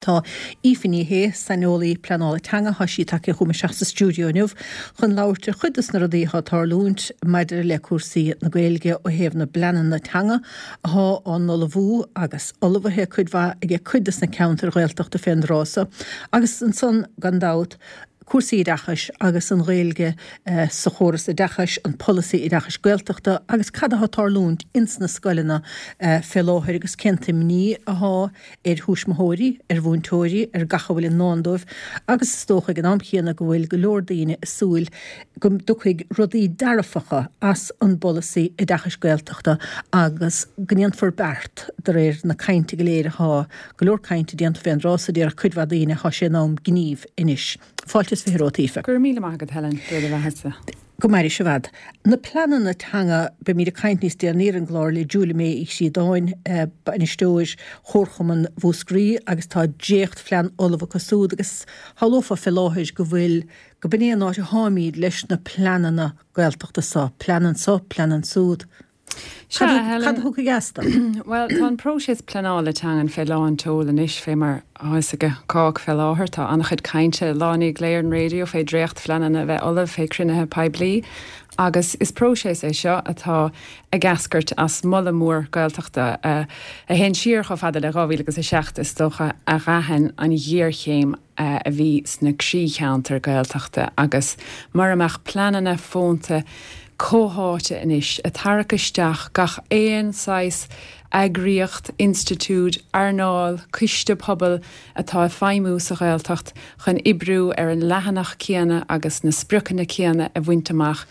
Tá Aoife Ní Shé, saineolaí pleanála teanga, tá sí tagtha chugam isteach sa stiúideo inniu chun labhairt ar chuid dos na rudaí atá ag tarlúint maidir le cúrsaí na Gaeilge ó thaobh na bpleananna teanga athá á n-ullmhú agus ullmhaithe cuid mhaith aige cuid dos na ceantair Ghaeltachta fén dtráth so agus ansan gan dabht cúrsaí oideachais agus an Ghaeilge sa chóras oideachais, an polasaí oideachais Gaeltachta agus cad athá ag tarlúint ins na scoileanna fé láthair agus cén t-imní athá ar thuismitheoirí, ar mhúinteoirí, ar gach a bhfuil i ndán dóibh agus is dócha ag an am chéanna go bhfuil go leor daoine ag súil go dtiocfaidh rudaí dearfacha as an bpolasaí oideachais Gaeltachta agus go ndéanfar beart de réir na cainte go léir athá go leor cainte déanta fén dtráth so déarfadh cuid mhaith daoine thá sé in am gnímh anois. Fáilte is 20 romhat Aoife. Go raibh míle maith agat Helen, Dia do bheathasa. Go maire sibh fhad. Na pleananna teanga, beimid ag caint níos deireanaí ar an gclár le Julia May Uí Chríodáin, bainisteoir Chomharchumann Mhúscraí agus tá dréachtphlean ullamh acu súd agus shamhlófá fé láthair go bhfuil, go b'in é an áit a tháimíd leis na pleananna Gaeltachta so, plean anso, plean ansúd. Sea, a Helen. Cad a thiocfaidh astu? Bhuel, tá an próiseas pleanála teangan fé lán tseoil anois, fé mar atá fhios ag cách fé láthair. Tá an-chuid cainte lá i ndiaidh lae ar an raidió fé dréachtphleananna a bheith ullamh, fé chruinnithe poiblí. Agus is próiseas é seo atá ag eascairt as moladh mór Gaeltachta a théann siar chomh fada le 2000 agus 7, is dócha, a d'aithin an ghéarchéim a bhí sna croícheantair Gaeltachta agus mura mbeadh pleananna fónta comhtháite anois ag tarrac isteach gach aon saghas eagraíocht, institiúid, earnáil, coiste pobail atá ag feidhmiú sa Ghaeltacht chun oibriú ar an leathanach céanna agus na spriocanna céanna a bhaint amach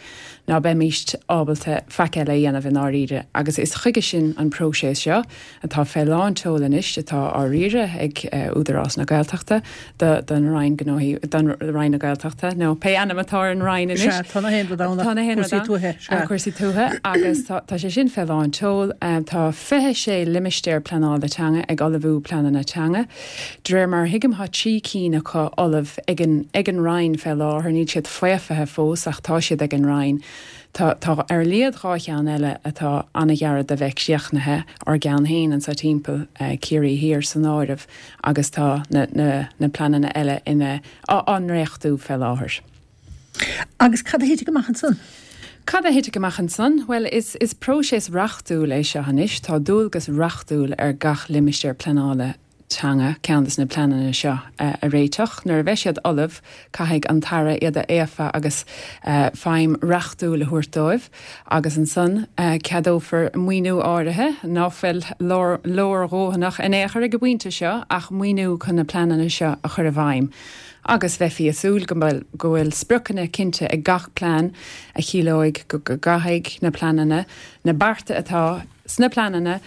ná beimíst ábalta faic eile a dhéanamh i ndáiríre agus is chuige sin an próiseas seo. atá fé lán tseoil anois, atá á riaradh ag Údarás na Gaeltachta don Roinn Gnóthaí, don Roinn na Gaeltachta, nó pé ainm atá ar an Roinn anois. Sea, tá na haon rud ann ach Tá na haon rud cúrsaí ann. tuaithe, sea. Cúrsaí tuaithe agus tá, tá sé sin fé lán tseoil. Tá 26 limistéar pleanála teanga ag ullmhú pleananna teanga. De réir mar a thuigim tá 3 cinn acu ullamh ag an, ag an Roinn fé láthair, níl siad faofaithe fós ach tá siad ag an Roinn. Tá, tá ar a laghad 2 cheann eile atá an-ghairid de bheith críochnaithe, ár gceann féin anso timpeall, Ciarraí Thiar san áireamh, agus tá na, na, na pleananna eile ina, á, á ndréachtú fé láthair. Agus cad a thitfidh amach ansan? Cad a thitfidh amach ansan? Bhuel, is, is próiseas reachtúil é seo anois. Tá dualgas reachtúil ar gach limistéar pleanála teanga ceann de na pleananna seo a réiteach. Nuair a bheidh siad ullamh, caithfidh an tAire iad a fhaofa agus feidhm reachtúil a thabhairt dóibh agus ansan ceadófar maoiniú áirithe, ná fuil leordhóthanach in aon chor ag an bpointe seo, ach maoiniú chun na pleananna seo a chur i bhfeidhm. Agus bheifí ag súil go bhfuil spriocanna cinnte ag gach plean a chiallóidh go gcaithfidh na pleananna na bearta atá sna pleananna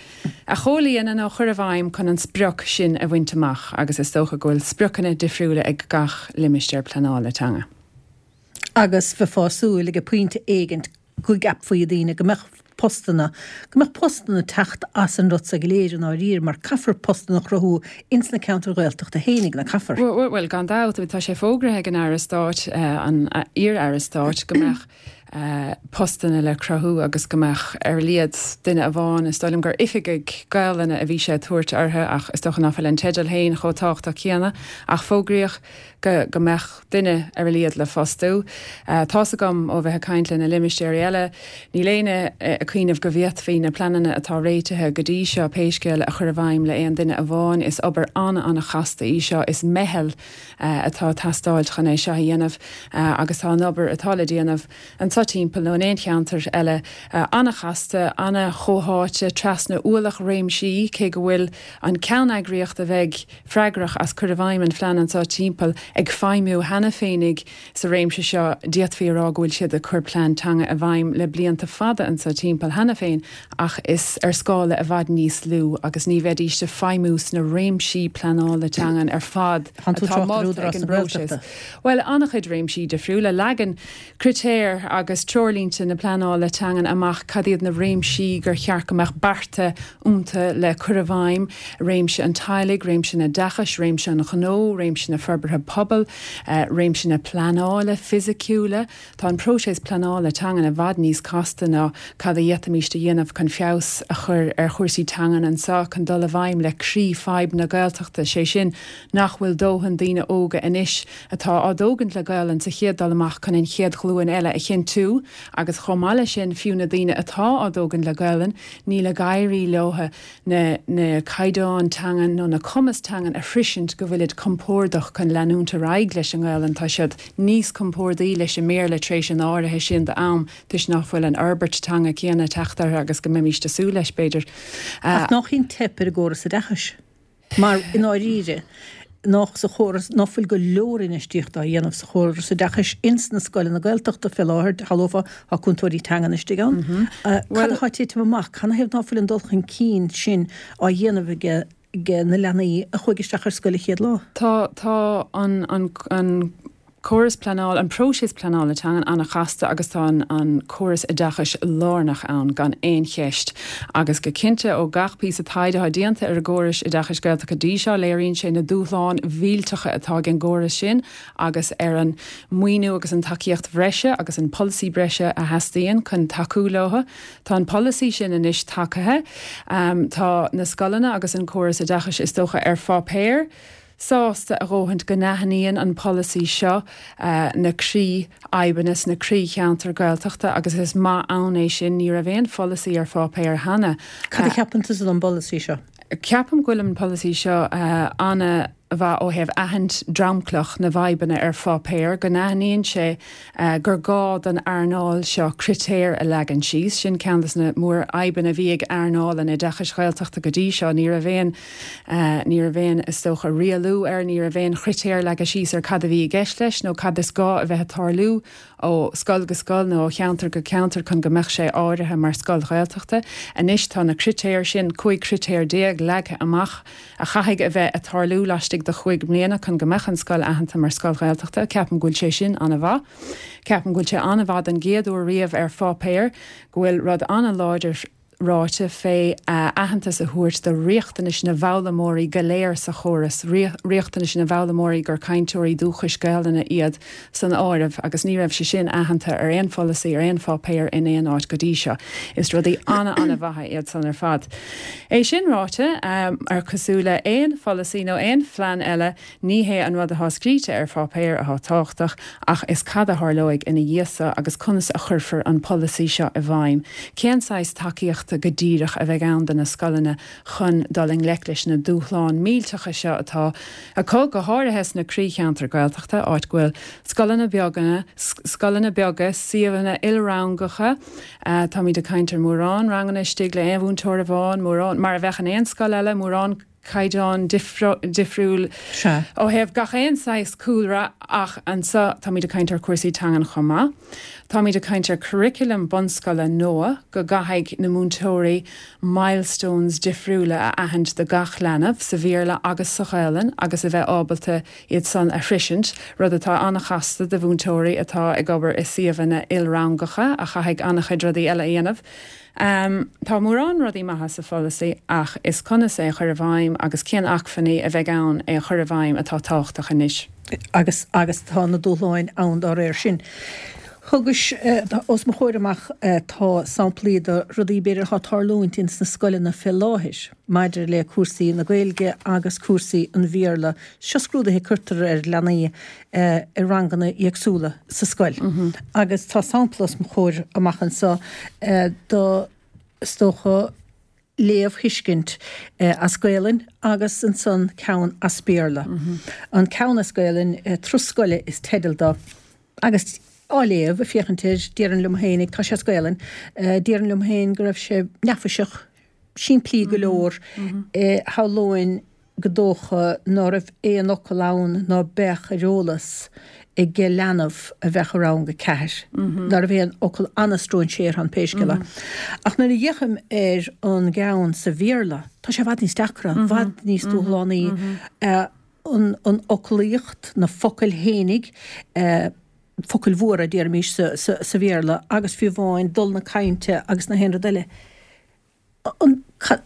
a chomhlíonadh nó a chur i bhfeidhm chun an sprioc sin a bhaint amach agus is dócha go bhfuil spriocanna difriúla ag gach limistéar pleanála teanga. Agus bheifeá ag súil ag pointe éigint go gceapfaí daoine go mbeadh postanna, go mbeadh postanna ag teacht as an rud so go léir i ndáiríre mar caithfear postanna a chruthú ins na ceantair Ghaeltachta fhéinig, ná caithfear? Bhuel, gan dabht, tá sé fógraithe ag an Aire Stáit, an iar-Aire Stáit, go mbeadh postanna le cruthú agus go mbeadh ar a laghad duine amháin, is dóigh liom gur oifigigh Gaelainne a bhí sé ag tabhairt orthu ach is dócha ná fuil an teideal féin chomh tábhachtach céanna, ach fógraíodh go go mbeadh duine ar a laghad le fostú. Tá's agam ó bheith ag caint le na limistéirí eile, níl éinne ag cuimhneamh go bhféadfaí na pleananna atá réitithe go dtí seo pé scéal a chur i bhfeidhm le aon duine amháin. Is obair an-an-chasta í seo, is meitheal atá ag teastáilt chun é seo a dhéanamh agus tá an obair atá le déanamh anso timpeall nó in aon cheantar eile an-chasta, an-chomhtháite trasna ualach réimsí, cé go bhfuil an ceanneagraíocht a bheidh freagrach as cur i bhfeidhm an phlean anso timpeall ag feidhmiú cheana féinig sa réimse seo, d'fhéadfaí a rá go bhfuil siad ag cur plean teanga i bhfeidhm le blianta fada anso timpeall cheana féin ach is ar scála i bhfad níos lú agus ní bheidíst ag feidhmiú sna réimsí pleanála teangan ar fad Tá tú atá ag trácht ar molta Údarás ag an na bpróiseas. Gaeltachta. Bhuel, an-chuid réimsí difriúla. Leagann critéir agus. agus treoirlínte na pleanála teangan amach cad iad na réimsí gur cheart go mbeadh bearta iontu le cur i bhfeidhm, réimse an teaghlaigh, réimse an oideachais, réimse an ghnó, réimse na forbartha pobail, réimse na pleanála fisiciúla. Tá an próiseas pleanála teangan i bhfad níos casta ná cad a d'fhéadfaimíst a dhéanamh chun feabhas a chur ar chúrsaí teangan anseo chun dul i bhfeidhm le croí fadhb na Gaeltachta, sé sin nach bhfuil dóthain daoine óga anois atá á dtógaint le Gaelainn sa chéad dul amach chun an chéad ghlúin eile a chinntiú agus chomh maith leis sin fiú na daoine atá á dtógaint le Gaelainn níl ag éirí leo na na caighdeáin teangan nó na cumas teangan a shroisint go bhfuilid compordach chun leanúint ar aghaidh leis an nGaelainn tá siad níos compórdaí leis an mBéarla tar éis an áirithe sin d'am toisc nach bhfuil an fhorbairt teanga céanna ag teacht orthu agus go mbeimíst ag súil leis b'fhéidir. Ach nach í an teip ar an gcóras oideachais? Mar, i ndáiríre, nach sa chóras, ná fuil go leor infheistíochta á dhéanamh sa chóras oideachais ins na scoileanna Gaeltachta fé láthair, shamhlófá, tá cúntóirí teangan istigh ann. Cad atá ag titim amach? Canathaobh ná fuil an dul chun cinn sin á dhéanamh ag na leanaí a chuaigh isteach ar scoil an chéad lá? Tá, tá an, an, an córas pleanála, an próiseas pleanála teangan an-chasta agus tá an, an córas oideachais lárnach ann gan aon cheist. Agus go cinnte ó gach píosa taighde atá déanta ar an gcóras oideachais Gaeltachta go dtí seo léiríonn sé na dúshláin mhillteacha atá ag an gcóras sin agus ar an maoiniú agus an tacaíocht bhreise agus an polasaí breise a theastaíonn chun tacú leo. Tá an polasaí sin anois tagaithe. Tá na scoileanna agus an córas oideachais is dócha ar pháipéar sásta a dhóthaint go n-aithníonn an polasaí seo na croí-fhadhbanna sna croí-cheantair Gaeltachta agus is maith ann é sin. Ní raibh aon pholasaí ar pháipéar cheana. Cad a cheapann tusa den bpolasaí seo? Ceapaim go bhfuil an polasaí seo ana mhaith ó thaobh aithint dromchlach na bhfadhbanna ar pháipéar, go n-aithníonn sé gur gá don earnáil seo critéir a leagan síos. Sin ceann de na mórfhadhbanna a bhí ag earnáil an oideachais Ghaeltachta go dtí seo. Ní raibh aon, ní raibh aon, is dócha, rialú air, ní raibh aon chritéir leagtha síos ar cad a bhí i gceist leis nó cad is gá a bheith ag tarlú ó scoil go scoil nó ó cheantar go ceantar chun go mbeadh sé áirithe mar scoil Ghaeltachta. Anois tá na critéir sin, 15 critéar, leagtha amach a chaithfidh a bheith ag tarlú laistigh de chúig mbliana chun go mbeadh an scoil aitheanta mar scoil Ghaeltachta. Ceapaim go bhfuil sé sin an-mhaith. Ceapaim go bhfuil sé an-mhaith don gcéad uair riamh ar pháipéar go bhfuil rud an-láidir ráite fé aitheantas a thabhairt do riachtanais na bhfoghlaimeoirí go léir sa chóras, riachtanais na bhfoghlaimeoirí gur cainteoirí dúchais Gaelainne iad san áireamh, agus ní raibh sé sin aitheanta ar aon pholasaí, ar aon pháipéar in aon áit go dtí seo. Is rudaí ana-ana-mhaithe iad san ar fad. É sin ráite, ar cosúil le aon pholasaí nó aon phlean eile, Ní hé an rud atá scríte ar pháipéar atá tábhachtach, ach is cad a tharlóidh ina dhiaidh so agus conas a chuirfear an polasaí seo i bhfeidhm. Cén saghas tacaíochta go díreach a bheidh ann do na scoileanna chun dul i ngleic leis na dúshláin millteacha seo atá acu, go háirithe sna croícheantair Gaeltachta, áit go bhfuil scoileanna beaga, scoileanna beaga, suíomhanna ilrangacha, táimid ag caint ar mórán ranganna istigh le aon mhúinteoir amháin, mórán, mar a bheadh in aon scoil eile, mórán. caighdeán difriúil ó thaobh gach aon saghas cúlra ach anseo táimid ag caint ar chúrsaí teangan chomh maith. Táimid ag caint ar curriculum bunscoile nua go gcaithfidh na múinteoirí milestones difriúla a aithint do gach leanbh sa Bhéarla agus sa Ghaelainn agus a bheith ábalta iad san a shroisint, rud atá an-chasta do mhúinteoirí atá ag obair i suíomhanna ilrangacha a chaithfidh an-chuid rudaí eile a dhéanamh. Tá mórán rudaí maithe sa pholasaí ach is conas é a chur i bhfeidhm agus cén acmhainní a bheidh ann é a chur i bhfeidhm atá tábhachtach anois. Agus agus tá na dúshláin ann dá réir sin. Thugais os mo chomhair amach tá samplaí de rudaí b'fhéidir atá ag tarlúint ins na scoileanna fé láthair maidir le cúrsaí na Gaeilge agus cúrsaí an Bhéarla. Seo scrúduithe a cuirtear ar leanaí i ranganna éagsúla sa scoil. Agus tá sampla os mo chomhair amach anseo do, is dócha, léamhthuiscint as Gaelainn agus ansan ceann as Béarla. An ceann as Gaelainn, Turas Scoile is teideal dó. Agus á léamh, ag féachaint air, déarfainn liom féinig, tá sé as Gaelainn, déarfainn liom féin go raibh sé neafaiseach, simplí go leor, shamhlóinn go dócha ná raibh aon fhocal ann ná beadh ar eolas ag leanbh a bheadh i rang a ceathair, ná raibh aon fhocal an-stróinséartha ann pé scéal é. Ach nuair a fhéachaim ar an gceann sa Bhéarla, tá sé i bhfad níos deacra, i bhfad níos dúshlánaí, an fhoclaíocht, na focail fhéinig. focail mhóra, déarfaimis, sa Bhéarla agus fiú amháin dul na cainte agus na haon rud eile. An, cad,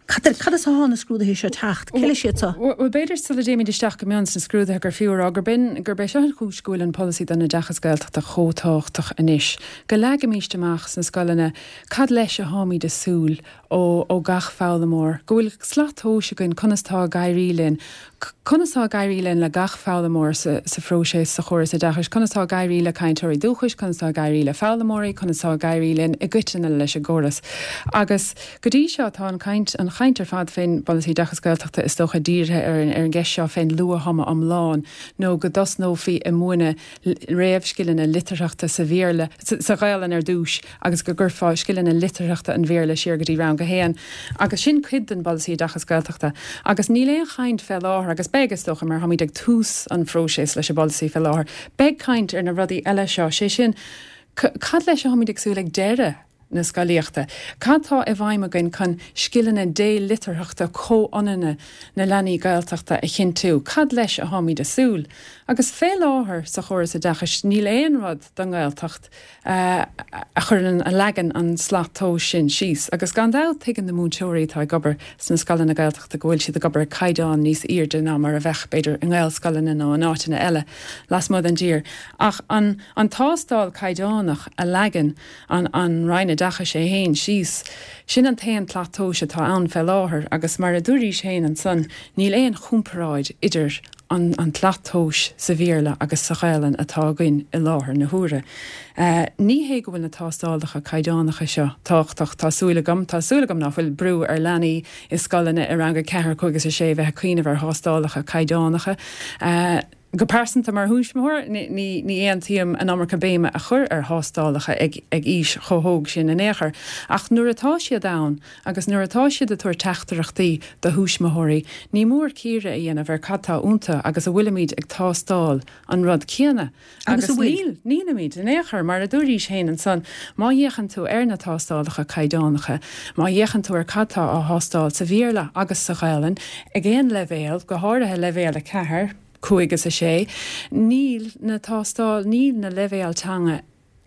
cad as atá na scrúduithe seo ag teacht? Cé leis iad seo? Bhuel, b'fhéidir sula dtéimid isteach go mion sna scrúduithe gur fiú a rá gurb in, gurb é seo an chúis go bhfuil an polasaí don oideachas Gaeltachta chomh tábhachtach anois. Go leagaimíst amach sna scoileanna cad leis a tháimid a súil ó ó gach foghlaimeoir, go bhfuil slat tomhais againn conas tá ag éirí linn, conas tá ag éirí linn le gach foghlaimeoir sa sa phróiseas sa chóras oideachais, conas tá ag éirí le cainteoirí dúchais, conas tá ag éirí le foghlaimeoirí, conas tá ag éirí linn i gcoitinne leis an gcóras. Agus go dtí seo tá an caint, an chaint ar fad fén bPolasaí Oideachais Gaeltachta is dócha dírithe ar an ar an gceist seo fén luath-thumadh iomlán nó go dtosnófaí ag múineadh réamhscileanna litearthachta sa Bhéarla, sa Ghaelainn ar dtús agus go gcuirfeá scileanna litearthachta an Bhéarla siar go dtí rang a haon. Agus sin cuid den bPolasaí Oideachais Gaeltachta. Agus níl aon chaint fé láthair, agus beidh, is dócha, mar táimid ag tús an phróiseas leis an bpolasaí fé láthair, beidh caint ar na rudaí eile seo, sé sin, cad leis a tháimid ag súil ag deireadh na scolaíochta? Cad tá i bhfeidhm againn chun scileanna délitearthachta comhionanna na leanaí Gaeltachta a chinntiú? Cad leis a tháimid a súil? Agus fé láthair sa chóras oideachais níl aon rud don nGaeltacht a chuireann, a leagann an slat tomhais sin síos. Agus gan dabht tuigeann na múinteoirí atá ag obair sna scoileanna Gaeltachta go bhfuil siad ag obair ag caighdeán níos airde ná mar a bheadh, b'fhéidir, i nGaelscoileanna nó in áiteanna eile lasmuigh den dtír. Ach an an tástáil caighdeánach a leagann an an Roinn Oideachais é féin síos, sin an t-aon tslat tomhais atá ann fé láthair agus mar a dúraís féin ansan, níl aon chomparáid idir an an tslat tomhais sa Bhéarla agus sa Ghaelainn atá againn i láthair na huaire. Ní hé go bhfuil na tástálacha caighdeánacha seo tábhachtach, tá súil agam, tá súil agam ná fuil brú ar leanaí i scoileanna i rang a 4, 5 is 6 bheith ag cuimhneamh ar thástálacha caighdeánacha. Go pearsanta mar thuismitheoir, ní ní aontaím an iomarca béime a chur ar thástálacha ag ag aois chomh hóg sin in aon chor, ach nuair atá siad ann, Agus nuair atá siad ag tabhairt teachtaireachtaí do thuismitheoirí, ní mór cíoradh a dhéanamh ar cad tá iontu agus a bhfuilimid ag tástáil an rud céanna. Agus níl, nílimid in aon chor. Mar a dúraís féin ansan, má fhéachann tú ar na tástálacha caighdeánacha, má fhéachann tú ar cad tá á thástáil sa Bhéarla agus sa Ghaelainn ag aon leibhéal, go háirithe leibhéal 4, 5 is 6, níl na tástáil, níl na leibhéil teanga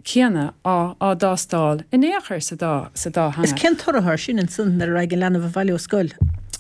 céanna á á dtástáil in aon chor sa dá sa dá theanga. Is cén toradh atá air sin ansan nuair a raghaidh an leanbh abhaile ó scoil?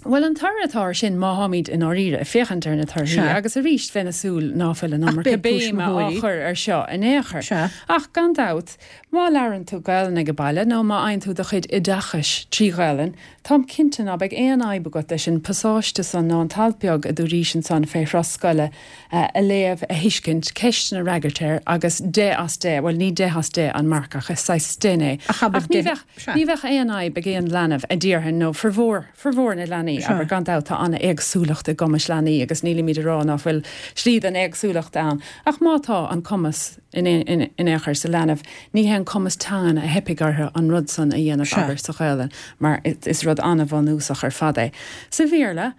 Bhuel, an toradh atá air sin, má tháimid i ndáiríre ag féachaint ar na torthaí, Sea. agus arís bheinn ag súil ná fuil an Ach iomarca beidh béime á tuismitheoirí. chur ar seo in aon chor. Sea. Ach gan dabht, má labhrann tú Gaelainn ag baile nó má fhaigheann tú do chuid oideachais trí Ghaelainn, táim cinnte ná beidh aon fhadhb agat leis an bpasáiste san nó an t-alt beag a dúraís ansan fé thuras scoile a léamh, a thuiscint, ceisteanna a fhreagairt air agus deich as deich, bhuel ní deich as deich an marc ach is saghas sten é. Ach abair Ach ní deich, bheadh, sea. ní bheadh aon fhadhb ag aon leanbh a déarfainn nó formhór, formhór na leanaí, Sea. abair, gan dabht tá an-éagsúlacht i gcumais leanaí agus nílimid a rá ná fuil slí den éagsúlacht ann ach má tá an cumas in in in aon chor sa leanbh, ní hé an cumas teangan a theipfidh orthu an rud san a dhéanamh, Sea. abair, sa Ghaelainn mar is rud an-bhunúsach ar fad é. Sa Bhéarla,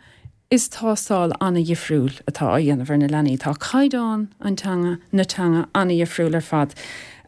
Is tástáil an-dhifriúil atá á dhéanamh ar na leanaí. Tá caighdeán an teanga, na teanga, an-dhifriúil ar fad.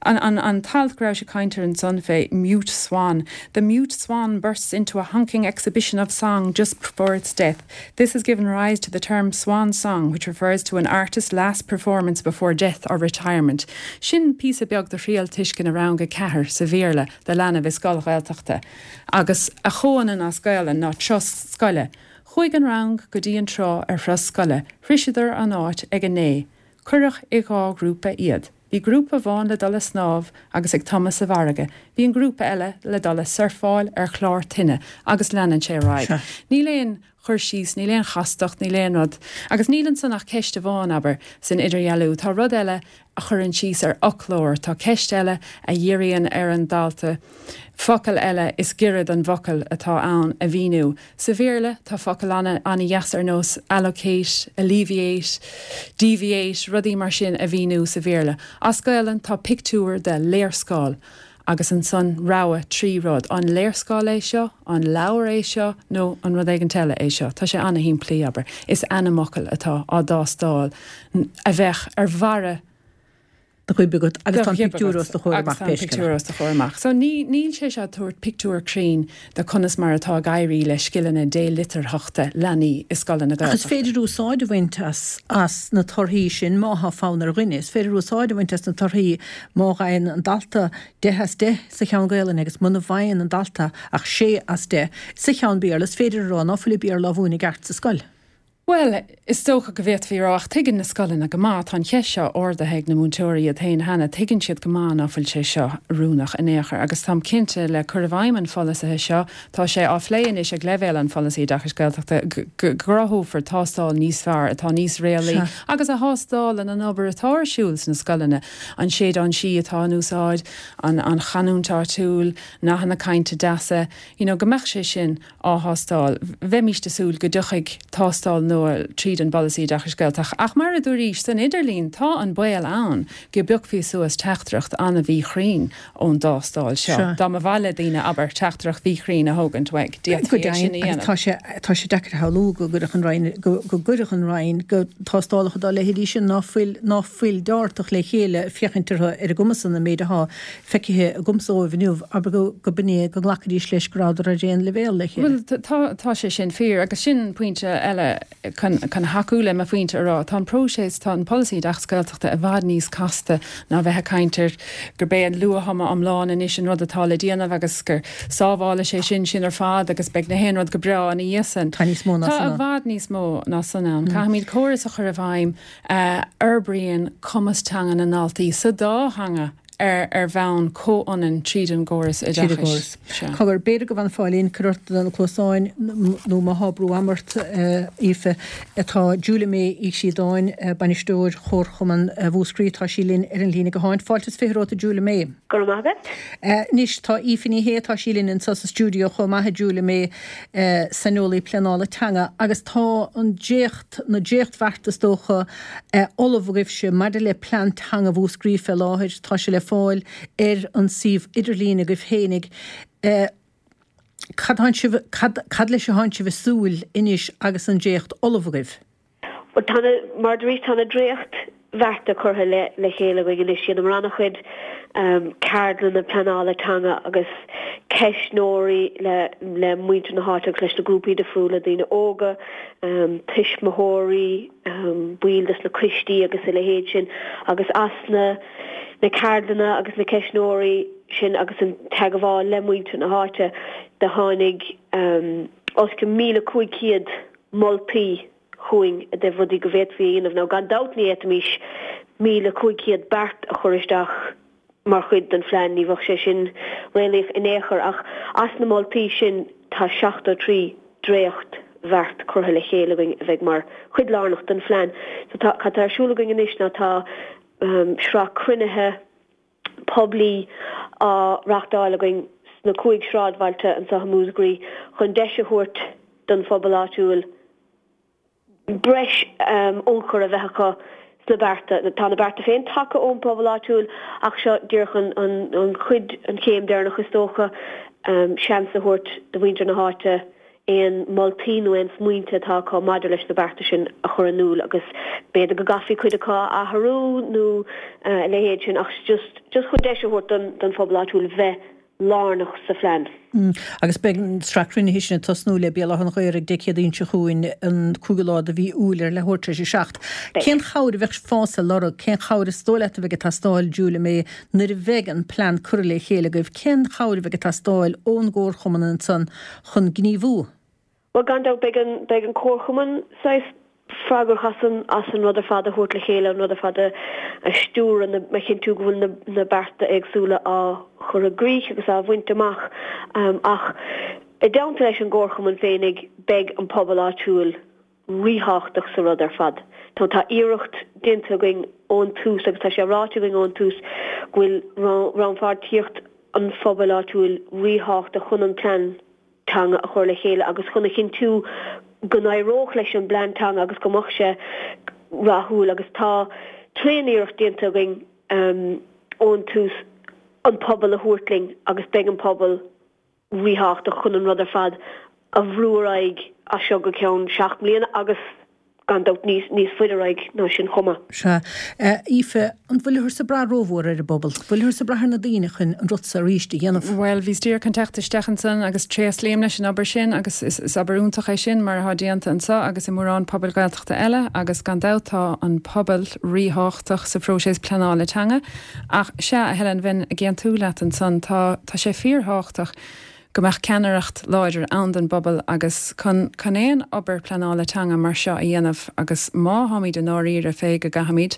An, an, an t-alt go rabhais ag caint air ansan fé mute swan. The mute swan bursts into a honking exhibition of song just before its death. This has given rise to the term swan song which refers to an artist's last performance before death or retirement. Sin píosa beag de thriail tuisceana rang 4 sa Bhéarla do leanbh i scoil Ghaeltachta. Agus a chomhionann as Gaelainn ná turas scoile. Chuaigh an rang go dtí an trá ar thuras scoile. Shroiseadar an áit ag a naoi. Cuireadh i dhá ghrúpa iad. Bhí grúpa amháin le dul ag snámh agus ag tumadh sa bhfarraige. Bhí an grúpa eile le dul ag surfáil ar chlár toinne agus leanann sé ar aghaidh. Níl aon chur síos, níl aon chastacht, níl aon rud. Agus níl ansan ach ceist amháin, abair, san idirdhealú. Tá rud eile a chuireann síos ar fhoclóir. Tá ceist eile a dhíríonn ar an dalta focal eile is giorra don bhfocal atá ann a mhíniú. Sa Bhéarla, tá focail an-dheas ar nós allocate, alleviate, deviate, rudaí mar sin a mhíniú sa Bhéarla. As Gaelainn, tá pictiúr de léarscáil agus ansan rogha 3 rud, an léarscáil é seo, an leabhar é seo nó an rud éigint eile é seo? Tá sé an-shimplí, abair. Is ainmfhocail atá á dtástáil a bheadh ar bharra. Do ghoib agat agus tá an pictiúr os do chomhair amach Agus tá an pictiúr os do chomhair amach. So ní, níl sé seo ag tabhairt pictiúr cruinn de conas mar atá ag éirí le scileanna délitearthachta leanaí i scoileanna Ach is Gaeltachta. féidir úsáid a bhaint as, as na torthaí sin má thá fonn ar dhuine. Is féidir úsáid a bhaint as na torthaí má fhaigheann an dalta 10 as 10 sa cheann Gaelainne agus muna bhfaigheann an dalta ach 6 as 10 sa cheann Béarla, is féidir a rá ná fuil an Béarla á mhúineadh i gceart sa scoil. Bhuel, is dócha go bhféadfaí a rá, ach tuigeann na scoileanna go maith, tá an cheist seo ardaithe ag na múinteoirí iad féin cheana, tuigeann siad go maith ná fuil sé seo oiriúnach in aon chor. Agus táim cinnte, le cur i bhfeidhm an pholasaithe seo, tá sé á phlé anois ag leibhéal an pholasaí oideachais Gaeltachta, go gcruthófar tástáil níos fearr, atá níos réalaí agus a thástálann an obair atá ar siúl sna scoileanna, an séideán sí atá in úsáid, an chanúint áitiúil, nathanna cainte deasa, you know, go mbeadh sé sin á thástáil. Bheimíst ag súil go dtiocfaidh tástáil nua tríd an bPolasaí Oideachais Gaeltachta. Ach mar a dúraís, san idirlinn tá an baol ann go bpiocfaí suas teachtaireacht an-mhíchruinn ón dtástáil seo. Dá mba mhaith le daoine, abair, teachtaireacht mhíchruinn a thógaint uaidh, d'fhéadfaí é sin a dhéanamh. Agus tá sé, tá sé deacair a shamhlú go gcuirfeadh an Roinn, go gcuirfeadh an Roinn go tástálacha dá leithéidí sin ná fuil, ná fuil deartach le chéile féachaint orthu ar a gcumas-san an méid athá feicthe agamsa dóibh inniu, abair go, go b'in é, go nglacfaidís leis go rabhadar ar aon leibhéal le chéile. Bhuel, tá, tá sé sin fíor, agus sin pointe eile chun, chun thacú le mo phointe a rá. Tá an próiseas, tá an polasaí oideachas Gaeltachta i bhfad níos casta ná bheith ag caint ar gurb é an luath-thumadh iomlán anois an rud atá le déanamh agus gur sábhálfaidh sé sin sinn ar fad agus beidh na haon rud go breá ina dhiaidh san. Tá níos mó ná san ann. Tá i bhfad níos mó ná san ann. Caithfimid córas a chur i bhfeidhm a fhorbraíonn cumas teanga na ndaltaí sa dá theanga ar ar bhonn comhionann tríd an gcóras Tríd an oideachais. gcóras. Cogar, b'fhéidir go bhfanfá linn, cuir ort na cluasáin nó má thá brú ama ort, a Aoife. Tá Julia May Uí Chríodáin, bainisteoir Chomharchumann Mhúscraí, tá sí linn ar an líne gutháin. Fáilte is 20 romhat a Julia May. Go raibh maith agat. Anois, tá Aoife Ní Shé, tá sí linn anseo sa stiúideo chomh maith, a Julia May, saineolaí pleanála teanga, agus tá an dréacht, na dréachtbhearta is dócha, ullamh agaibhse maidir le plean teanga Mhúscraí fé láthair. Tá sé le fáil ar an suíomh idirlín agaibh fhéinig. Cad tánn sibh, cad, cad leis a thánn sibh ag súil anois agus an dréacht ullamh agaibh? Bhuel, tá na, mar a dúraís, tá na dréachtbhearta curtha le le chéile againn anois. Dheineamar an-chuid ceardlanna pleanála teanga agus ceistneoirí le le muintir na háite agus leis na grúpaí difriúla, daoine óga, tuismitheoirí, baill des na coistí agus a leithéid sin agus as na na ceardlanna agus na ceistneoirí sin agus an teagmháil le muintir na háite do tháinig os cionn 1,500 moltaí chugainn i dtaobh rudaí go bhféadfaí a dhéanamh. Now gan dabht ní fhéadfaimis 1,500 beart a chur isteach mar chuid den phlean, ní bheadh sé sin réalaíoch in aon chor, ach as na moltaí sin tá 73 dréachtbheart curtha le chéile againn a bheidh mar chuid lárnach den phlean. So tá, cad tá ar siúl againn anois ná tá sraith cruinnithe poiblí á reachtáil againn sna cúig sráidbhailte anseo i Múscraí chun deis a thabhairt don phobal áitiúil breis ionchur a bheith acu sna bearta. Tá na bearta féin tagtha ón bpobal áitiúil ach seo díreach an chuid, an chéim deireanach is dócha, seans a thabhairt do mhuintir na háite aon moltaí nó aon smaointe atá acu maidir leis na bearta sin a chur in iúl agus b'fhéidir go gcaithfí cuid acu a athrú nó a leithéid sin ach just just chun deis a thabhairt don don phobal áitiúil bheith lárnach sa phlean. Agus beidh an tsraith cruinnithe sin ag tosnú le Béal Átha an Ghaorthaidh Dé Céadaoin seo chugainn, an cúigiú lá de mhí Iúil ar leathuair tar éis a 7. Cén chabhair a bheadh fás ag lorg, cén chabhair is dóigh leat a bheidh ag teastáil, Julia May, nuair a bheidh an plean curtha le chéile agaibh, cén chabhair a bheidh ag teastáil ón gComharchumann ansan chun gníomhú? Bhuel, gan dabht, beidh an, beidh an Comharchumann saghas freagrach as an, as an rud ar fad a thabhairt le chéile, an rud ar fad a, a stiúradh, na, a chinntiú go bhfuil na, na bearta éagsúla á chur i gcrích agus á bhaint amach. Ach i dteannta leis an gComharchumann féinig, beidh an pobal áitiúil ríthábhachtach sa rud ar fad. Tá, tá iarracht déanta againn ón tús agus tá sé ráite againn ón tús go bhfuil rannpháirtíocht an phobail áitiúil ríthábhachtach chun an plean teanga a chur le chéile agus chun a chinntiú go n-éireodh leis an bplean teanga agus go mbeadh sé rathúil agus tá tréan-iarracht déanta againn ón tús an pobal a thabhairt linn agus beidh an pobal ríthábhachtach chun an rud ar fad a bhrú ar aghaidh as seo go ceann 7 mbliana agus. Gan dabht níos níos faide ar aghaidh ná sin chomh maith. Sea. Aoife, an bhfuilthearsa ag brath rómhór ar an bpobal? Bhfuilthearsa ag brath ar na daoine chun an rud so arís a dhéanamh? Bhuel, bhíos díreach chun teacht isteach ansan agus tréaslaím leis an obair sin agus is is obair iontach é sin mar atá déanta anso agus i mórán pobail Ghaeltachta eile agus gan dabht tá an pobal ríthábhachtach sa phróiseas pleanála teanga ach sea, a Helen, bheinn ag aontú leat ansan, tá tá sé fíorthábhachtach go mbeadh ceannaireacht láidir ann don bpobal agus chun chun aon obair pleanála teanga mar seo a dhéanamh agus má tháimid i ndáiríre fé go gcaithfimid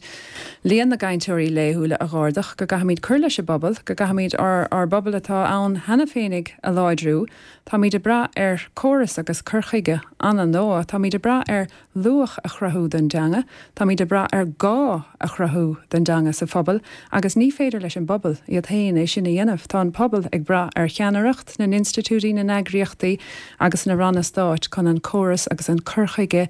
líon na gcainteoirí laethúla a dh'ardach, go gcaithfimid cur leis an bpobal, go gcaithfimid ár ár bpobal atá ann cheana féinig a láidriú, táimid ag brath ar córas agus cur chuige an-nua, táimid ag brath ar luach a chruthú don dteanga, táimid ag brath ar gá a chruthú don dteanga sa phobal agus ní féidir leis an bpobal iad féin é sin a dhéanamh. Tá an pobal ag brath ar cheannaireacht na n-institiúidí, na n-eagraíochtaí agus na ranna stáit chun an córas agus an cur chuige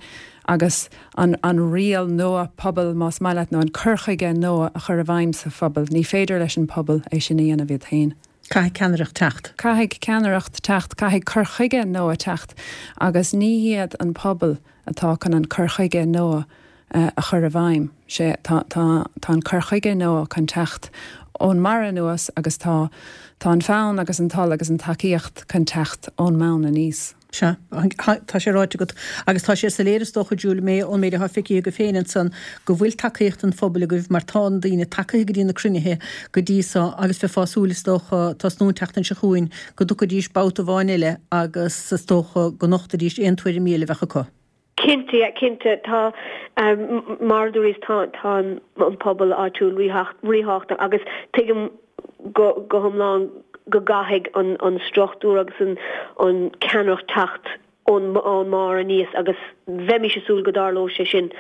agus an an riail nua pobail, más maith leat, nó an cur chuige nua a chur i bhfeidhm sa phobal. Ní féidir leis an pobal é sin a dhéanamh iad féin. Caithfidh ceannaireacht teacht. Caithfidh ceannaireacht teacht, caithfidh cur chuige nua teacht agus ní hiad an pobal atá chun an cur chuige nua a chur i bhfeidhm. Sé, tá, tá, tá an cur chuige nua chun teacht ón mbarra anuas agus tá, tá an fonn agus an toil agus an tacaíocht chun teacht ón mbonn aníos. Sea, tá sé ráite agat, agus tá sé soiléir is dócha, Julia May, ón méid atá feicthe agaibh féin ansan, go bhfuil tacaíocht an phobail agaibh mar tá na daoine tagaithe go dtí na cruinnithe go dtí so agus bheifeá ag súil is dócha tosnú an tseachtain seo chugainn go dtiocfaidís babhta amháin eile agus is dócha go nochtfaidís aon tuairimí eile a bheadh acu. Cinnte, yeah, cinnte. Tá, mar a dúraís, tá, tá an pobal áitiúil ríthábhachtach agus tuigim go, go hiomlán go gcaithfidh an, an struchtúr agus an, an ceannaireacht teacht ón, ón mbarr aníos agus bheimis ag súil go dtarlódh sé sin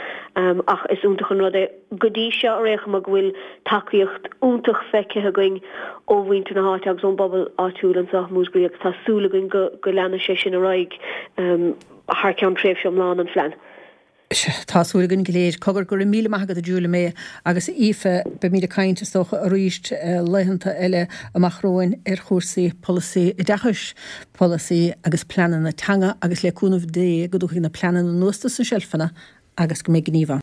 ach is iontach an rud é go dtí seo ar aon chuma go bhfuil tacaíocht iontach feicthe againn ó mhuintir na háite agus ón bpobal áitiúil anseo i Múscraí agus tá súil againn go, go leanfaidh sé sin ar aghaidh. thar ceann tréimhse iomlán an phlean. Tá súil againn go léir. Cogar, go raibh míle maith agat a Julia May agus a Aoife. Beimid ag caint, is dócha, arís laethanta eile amach romhainn ar chúrsaí polasaí oideachais, polasaí agus pleananna teanga agus le cúnamh Dé go dtiocfaidh na pleananna anuas dos na seilfeanna agus go mbeidh gníomh ann.